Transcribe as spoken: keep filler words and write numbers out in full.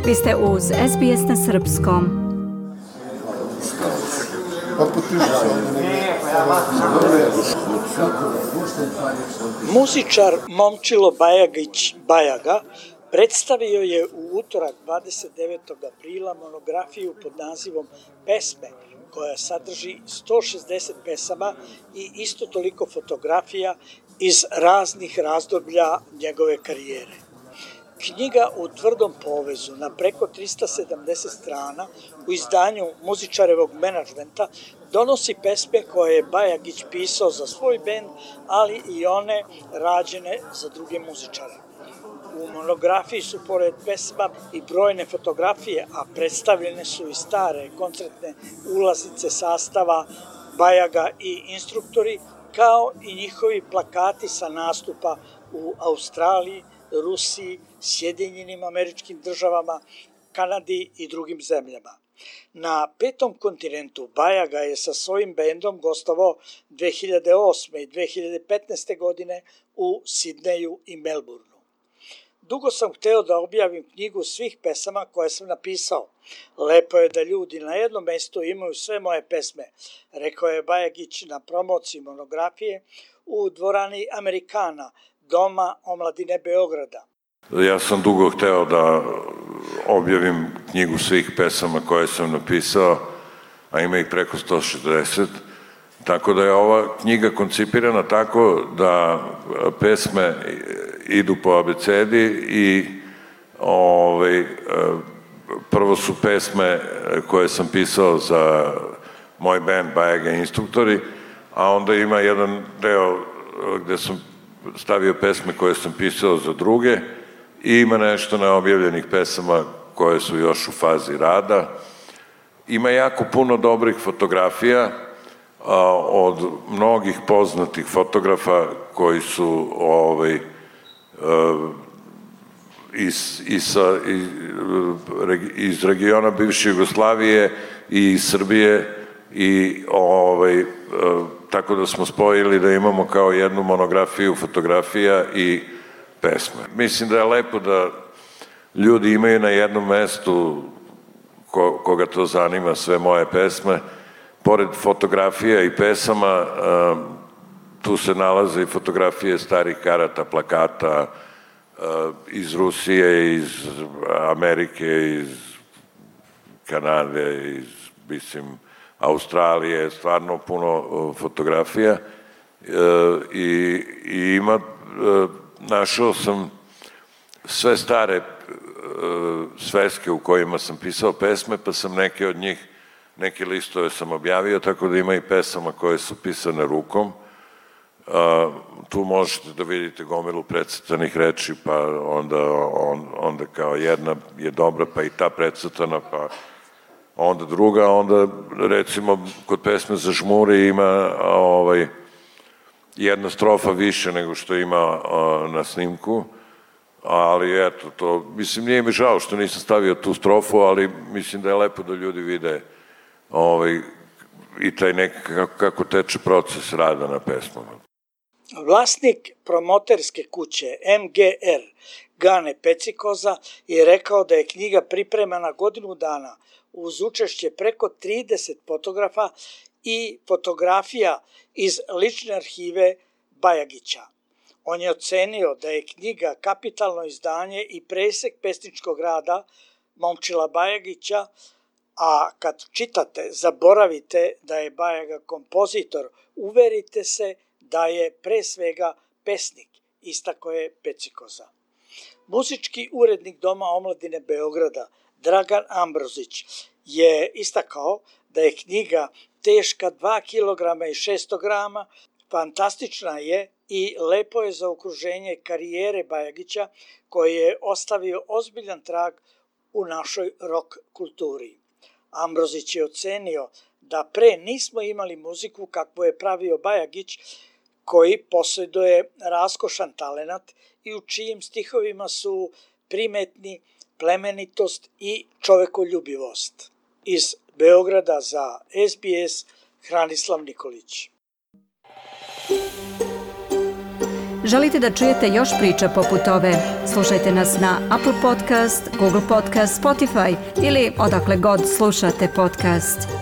Vi ste uz S B S na srpskom. Muzičar Momčilo Bajagić Bajaga predstavio je u utorak dvadeset devetog aprila monografiju pod nazivom Pesme, koja sadrži sto šezdeset pesama i isto toliko fotografija iz raznih razdoblja njegove karijere. Knjiga u tvrdom povezu na preko trista sedamdeset strana u izdanju muzičarevog menadžmenta donosi pesme koje je Bajagić pisao za svoj bend, ali i one rađene za druge muzičare. U monografiji su pored pesma i brojne fotografije, a predstavljene su i stare koncertne ulaznice sastava Bajaga i instruktori, kao i njihovi plakati sa nastupa u Australiji, Rusiji, Sjedinjenim Američkim Državama, Kanadi i drugim zemljama. Na petom kontinentu Bajaga je sa svojim bendom gostovao dve hiljade osme i dve hiljade petnaeste. godine u Sidneju i Melbourneu. Dugo sam hteo da objavim knjigu svih pesama koje sam napisao. Lepo je da ljudi na jednom mestu imaju sve moje pesme, rekao je Bajagić na promociji monografije u dvorani Amerikana, Doma omladine Beograda. Ja sam dugo hteo da objavim knjigu svih pesama koje sam napisao, a ima ih preko sto šezdeset, tako da je ova knjiga koncipirana tako da pesme idu po abecedi i ovaj, prvo su pesme koje sam pisao za moj band Bajaga instruktori, a onda ima jedan deo gde sam stavio pesme koje sam pisao za druge i ima nešto neobjavljenih pesama koje su još u fazi rada. Ima jako puno dobrih fotografija a, od mnogih poznatih fotografa koji su ovaj, a, iz, iz, iz, iz regiona bivše Jugoslavije i iz Srbije i ovaj, a, tako da smo spojili da imamo kao jednu monografiju fotografija i pesme. Mislim da je lepo da ljudi imaju na jednom mestu ko, koga to zanima sve moje pesme. Pored fotografija i pesama, tu se nalaze i fotografije starih karata, plakata iz Rusije, iz Amerike, iz Kanade, iz, mislim, Australije, stvarno puno fotografija i, i ima, našao sam sve stare sveske u kojima sam pisao pesme, pa sam neke od njih, neke listove sam objavio, tako da ima i pesama koje su pisane rukom. Tu možete da vidite gomilu precrtanih reči, pa onda, on, onda kao jedna je dobra, pa i ta precrtana, pa onda druga, onda recimo kod pesme Za žmuri ima ovaj, jedna strofa više nego što ima na snimku, ali eto, to, mislim, nije mi žao što nisam stavio tu strofu, ali mislim da je lepo da ljudi vide ovaj, i taj neki, kako, kako teče proces rada na pesmama. Vlasnik promoterske kuće M G R, Gane Pecikoza, je rekao da je knjiga pripremana godinu dana uz učešće preko trideset fotografa i fotografija iz lične arhive Bajagića. On je ocenio da je knjiga kapitalno izdanje i presek pesničkog rada Momčila Bajagića, a kad čitate zaboravite da je Bajaga kompozitor, uverite se da je pre svega pesnik, istako je Pecikoza. Muzički urednik Doma omladine Beograda, Dragan Ambrozić, je istakao da je knjiga teška dva kilograma i šesto grama, fantastična je i lepo je za okruženje karijere Bajagića, koji je ostavio ozbiljan trag u našoj rock kulturi. Ambrozić je ocenio da pre nismo imali muziku kakvu je pravio Bajagić, koji posjeduje raskošan talenat i u čijim stihovima su primetni plemenitost i čovekoljubivost. Iz Beograda za S B S, Hranislav Nikolić. Želite da čujete još priča poput ove? Slušajte nas na Apple Podcast, Google Podcast, Spotify ili odakle god slušate podcast.